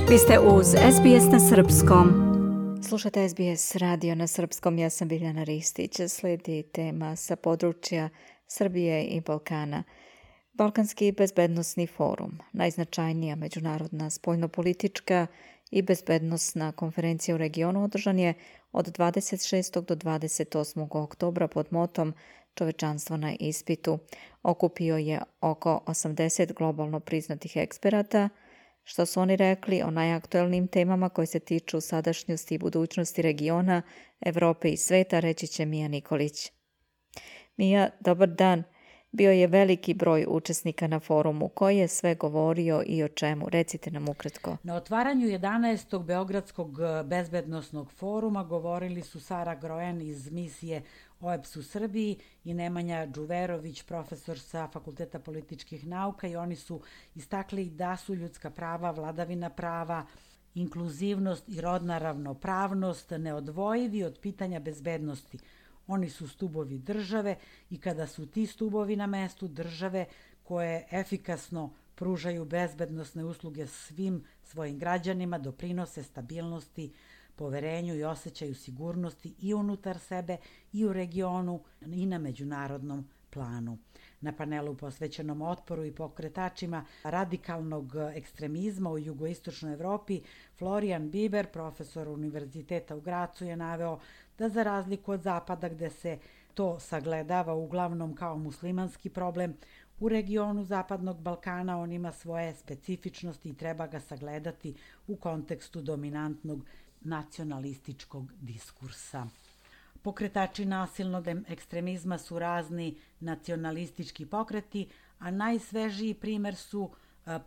Vi ste uz SBS na Srpskom. Slušate SBS radio na Srpskom, ja sam Biljana Ristić. Slijedi tema sa područja Srbije i Balkana. Balkanski bezbednosni forum, najznačajnija međunarodna spoljnopolitička i bezbednosna konferencija u regionu, održan je od 26. do 28. oktobra pod motom Čovečanstvo na ispitu. Okupio je oko 80 globalno priznatih eksperata. Što su oni rekli o najaktuelnijim temama koje se tiču sadašnjosti i budućnosti regiona, Evrope i sveta, reći će Mija Nikolić. Mija, dobar dan. Bio je veliki broj učesnika na forumu. Ko je sve govorio i o čemu? Recite nam ukratko. Na otvaranju 11. Beogradskog bezbednosnog foruma govorili su Sara Grojan iz misije OEBS u Srbiji i Nemanja Đuverović, profesor sa Fakulteta političkih nauka, i oni su istakli da su ljudska prava, vladavina prava, inkluzivnost i rodna ravnopravnost neodvojivi od pitanja bezbednosti. Oni su stubovi države i kada su ti stubovi na mestu, države koje efikasno pružaju bezbednosne usluge svim svojim građanima doprinose stabilnosti, poverenju i osjećaju sigurnosti i unutar sebe i u regionu i na međunarodnom planu. Na panelu posvećenom otporu i pokretačima radikalnog ekstremizma u jugoistočnoj Evropi, Florian Biber, profesor Univerziteta u Gracu, je naveo da za razliku od Zapada, gde se to sagledava uglavnom kao muslimanski problem, u regionu Zapadnog Balkana on ima svoje specifičnosti i treba ga sagledati u kontekstu dominantnog nacionalističkog diskursa. Pokretači nasilnog ekstremizma su razni nacionalistički pokreti, a najsvežiji primer su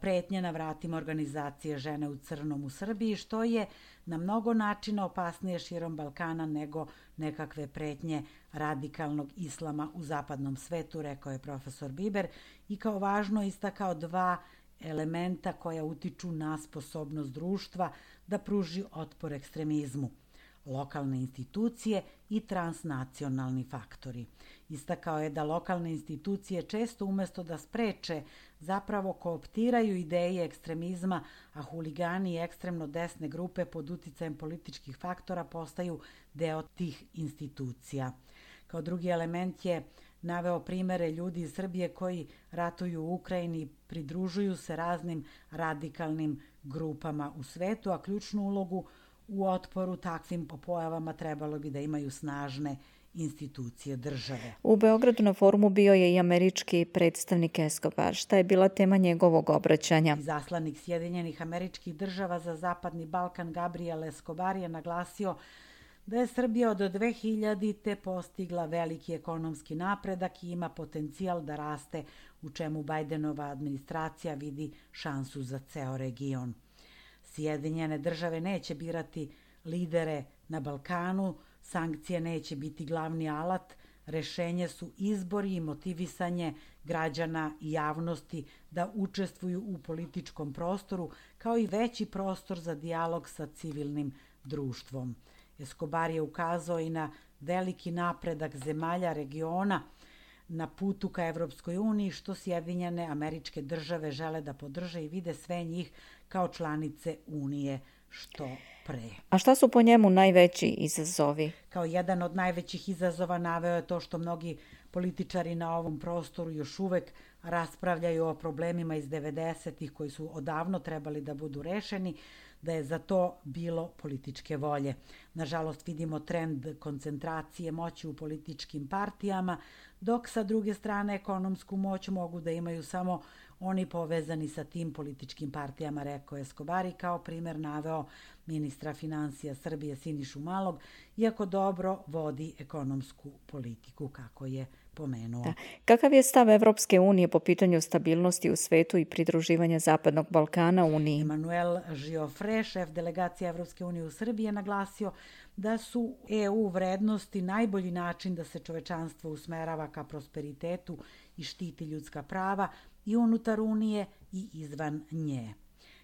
pretnje na vratima organizacije Žene u crnom u Srbiji, što je na mnogo načina opasnije širom Balkana nego nekakve pretnje radikalnog islama u zapadnom svetu, rekao je profesor Biber, i kao važno istakao dva elementa koja utiču na sposobnost društva da pruži otpor ekstremizmu: lokalne institucije i transnacionalni faktori. Istakao je da lokalne institucije često umesto da spreče, zapravo kooptiraju ideje ekstremizma, a huligani i ekstremno desne grupe pod uticajem političkih faktora postaju deo tih institucija. Kao drugi element je naveo primere ljudi iz Srbije koji ratuju u Ukrajini, pridružuju se raznim radikalnim grupama u svetu, a ključnu ulogu u otporu takvim pojavama trebalo bi da imaju snažne institucije države. U Beogradu na forumu bio je i američki predstavnik Escobar. Šta je bila tema njegovog obraćanja? Izaslanik Sjedinjenih Američkih Država za Zapadni Balkan Gabriel Escobar je naglasio da je Srbija od 2000. postigla veliki ekonomski napredak i ima potencijal da raste, u čemu Bajdenova administracija vidi šansu za ceo region. Sjedinjene države neće birati lidere na Balkanu, sankcije neće biti glavni alat, rešenje su izbori i motivisanje građana i javnosti da učestvuju u političkom prostoru, kao i veći prostor za dijalog sa civilnim društvom. Escobar je ukazao i na veliki napredak zemalja regiona na putu ka Evropskoj uniji, što Sjedinjene Američke Države žele da podrže i vide sve njih kao članice Unije što pre. A šta su po njemu najveći izazovi? Kao jedan od najvećih izazova naveo je to što mnogi političari na ovom prostoru još uvek raspravljaju o problemima iz 90-ih koji su odavno trebali da budu rešeni, da je za to bilo političke volje. Nažalost, vidimo trend koncentracije moći u političkim partijama, dok sa druge strane ekonomsku moć mogu da imaju samo oni povezani sa tim političkim partijama, rekao je Escobar, i kao primer naveo ministra finansija Srbije Sinišu Malog, iako dobro vodi ekonomsku politiku, kako je pomenuo. Da. Kakav je stav Evropske unije po pitanju stabilnosti u svetu i pridruživanja Zapadnog Balkana Uniji? Emanuel Giofre, šef delegacije Evropske unije u Srbiji, je naglasio da su EU vrednosti najbolji način da se čovečanstvo usmerava ka prosperitetu i štiti ljudska prava i unutar Unije i izvan nje.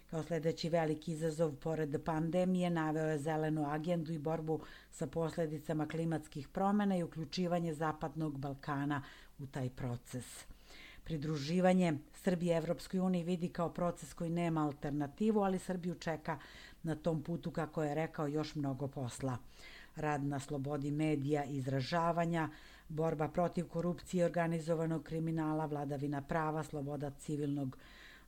Kao sledeći veliki izazov pored pandemije naveo je zelenu agendu i borbu sa posledicama klimatskih promena i uključivanje Zapadnog Balkana u taj proces. Pridruživanje Srbije Evropskoj uniji vidi kao proces koji nema alternativu, ali Srbiju čeka na tom putu, kako je rekao, još mnogo posla. Rad na slobodi medija i izražavanja, borba protiv korupcije i organizovanog kriminala, vladavina prava, sloboda civilnog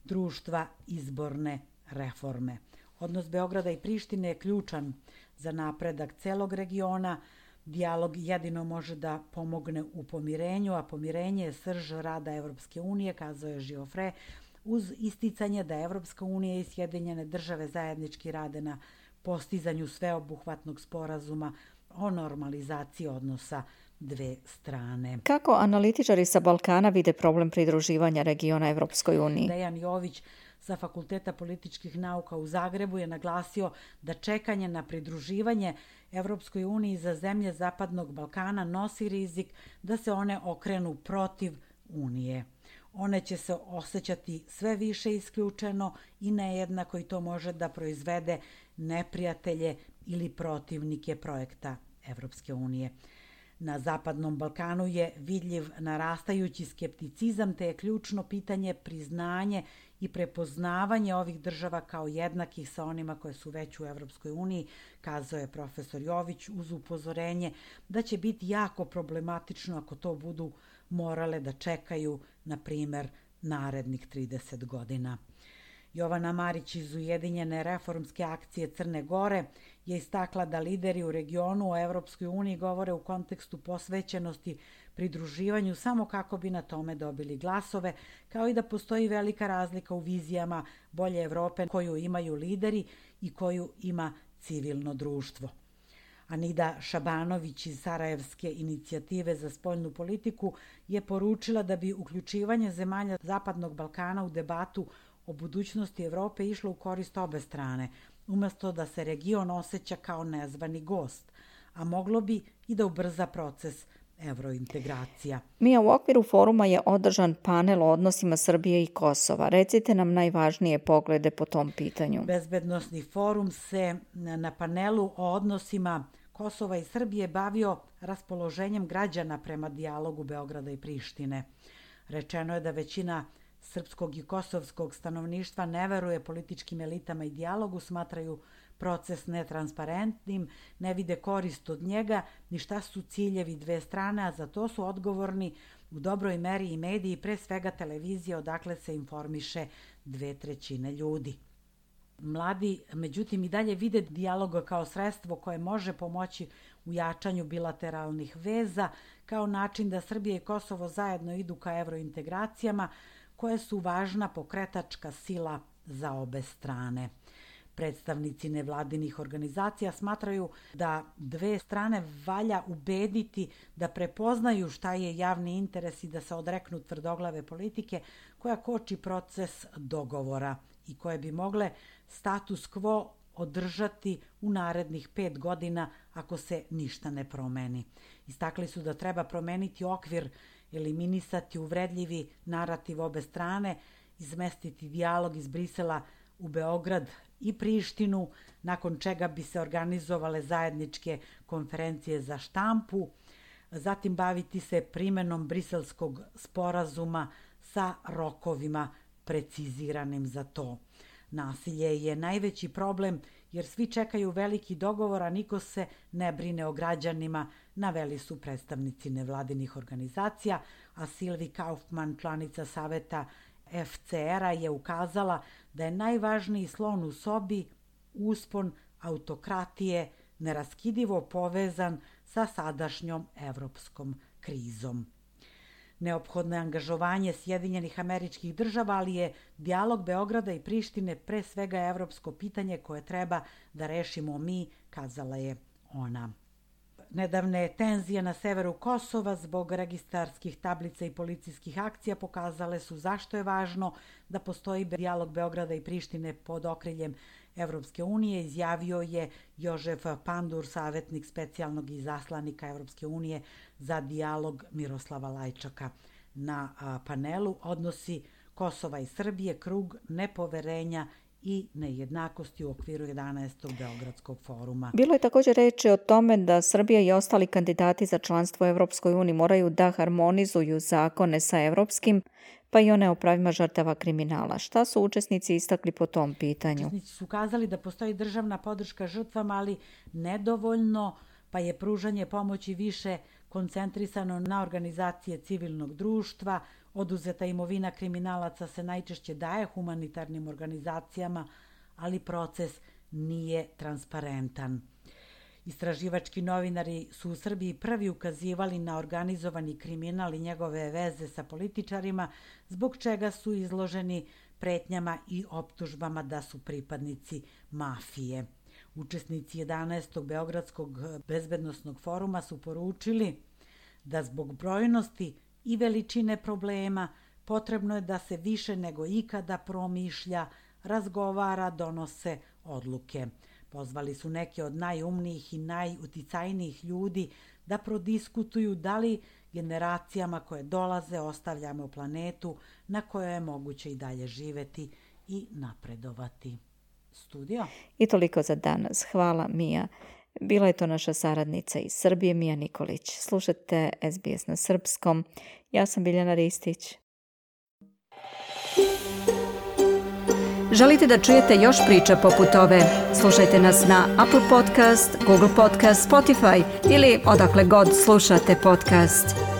društva, izborne reforme. Odnos Beograda i Prištine je ključan za napredak celog regiona. Dijalog jedino može da pomogne u pomirenju, a pomirenje je srž rada Evropske unije, kazao je Giofre, uz isticanje da Evropska unija i Sjedinjene države zajednički rade na postizanju sveobuhvatnog sporazuma o normalizaciji odnosa dve strane. Kako analitičari sa Balkana vide problem pridruživanja regiona Evropskoj uniji? Dejan Jović sa Fakulteta političkih nauka u Zagrebu je naglasio da čekanje na pridruživanje Evropskoj uniji za zemlje Zapadnog Balkana nosi rizik da se one okrenu protiv Unije. One će se osjećati sve više isključeno i nejednako i to može da proizvede neprijatelje ili protivnike projekta Evropske unije. Na Zapadnom Balkanu je vidljiv narastajući skepticizam, te je ključno pitanje priznanje i prepoznavanje ovih država kao jednakih sa onima koje su već u Evropskoj uniji, kazao je profesor Jović uz upozorenje da će biti jako problematično ako to budu morale da čekaju, na primer, narednih 30 godina. Jovana Marić iz Ujedinjene reformske akcije Crne Gore je istakla da lideri u regionu o Evropskoj uniji govore u kontekstu posvećenosti pridruživanju samo kako bi na tome dobili glasove, kao i da postoji velika razlika u vizijama bolje Evrope koju imaju lideri i koju ima civilno društvo. Anida Šabanović iz Sarajevske inicijative za spoljnu politiku je poručila da bi uključivanje zemalja Zapadnog Balkana u debatu o budućnosti Evrope išlo u korist obe strane, umesto da se region osjeća kao nezvani gost, a moglo bi i da ubrza proces evrointegracija. Mija, u okviru foruma je održan panel o odnosima Srbije i Kosova. Recite nam najvažnije poglede po tom pitanju. Bezbednosni forum se na panelu o odnosima Kosova i Srbije bavio raspoloženjem građana prema dijalogu Beograda i Prištine. Rečeno je da većina srpskog i kosovskog stanovništva ne veruje političkim elitama i dijalogu, smatraju proces netransparentnim, ne vide korist od njega, ni šta su ciljevi dve strane, a za to su odgovorni u dobroj meri i mediji, pre svega televizija, odakle se informiše 2/3 ljudi. Mladi, međutim, i dalje vide dijaloga kao sredstvo koje može pomoći u jačanju bilateralnih veza, kao način da Srbija i Kosovo zajedno idu ka evrointegracijama, koje su važna pokretačka sila za obe strane. Predstavnici nevladinih organizacija smatraju da dve strane valja ubediti da prepoznaju šta je javni interes i da se odreknu tvrdoglave politike koja koči proces dogovora i koje bi mogle status quo održati u narednih 5 godina ako se ništa ne promeni. Istakli su da treba promeniti okvir, eliminisati uvredljivi narativ obe strane, izmestiti dijalog iz Brisela u Beograd i Prištinu, nakon čega bi se organizovale zajedničke konferencije za štampu, zatim baviti se primenom briselskog sporazuma sa rokovima preciziranim za to. Nasilje je najveći problem jer svi čekaju veliki dogovor, a niko se ne brine o građanima, naveli su predstavnici nevladinih organizacija, a Silvi Kaufman, članica saveta FCR-a, je ukazala da je najvažniji slon u sobi uspon autokratije neraskidivo povezan sa sadašnjom evropskom krizom. Neophodno je angažovanje Sjedinjenih Američkih Država, ali je dijalog Beograda i Prištine pre svega evropsko pitanje koje treba da rešimo mi, kazala je ona. Nedavne tenzije na severu Kosova zbog registarskih tablica i policijskih akcija pokazale su zašto je važno da postoji dijalog Beograda i Prištine pod okriljem Evropske unije, izjavio je Jožef Pandur, savjetnik specijalnog izaslanika Evropske unije za dijalog Miroslava Lajčaka. Na panelu odnosi Kosova i Srbije, krug nepoverenja i nejednakosti u okviru 11. Beogradskog foruma. Bilo je također reči o tome da Srbija i ostali kandidati za članstvo u Evropskoj uniji moraju da harmonizuju zakone sa evropskim, pa i one o pravima žrtava kriminala. Šta su učesnici istakli po tom pitanju? Učesnici su kazali da postoji državna podrška žrtvama, ali nedovoljno, pa je pružanje pomoći više koncentrisano na organizacije civilnog društva. Oduzeta imovina kriminalaca se najčešće daje humanitarnim organizacijama, ali proces nije transparentan. Istraživački novinari su u Srbiji prvi ukazivali na organizovani kriminal i njegove veze sa političarima, zbog čega su izloženi pretnjama i optužbama da su pripadnici mafije. Učesnici 11. Beogradskog bezbednosnog foruma su poručili da zbog brojnosti i veličine problema potrebno je da se više nego ikada promišlja, razgovara, donose odluke. Pozvali su neke od najumnijih i najuticajnijih ljudi da prodiskutuju da li generacijama koje dolaze ostavljamo planetu na kojoj je moguće i dalje živeti i napredovati. Studio. I toliko za danas. Hvala, Mija. Bila je to naša saradnica iz Srbije, Mija Nikolić. Slušate SBS na srpskom. Ja sam Biljana Ristić. Želite da čujete još priča poput ove? Slušajte nas na Apple Podcast, Google Podcast, Spotify ili odakle god slušate podcast.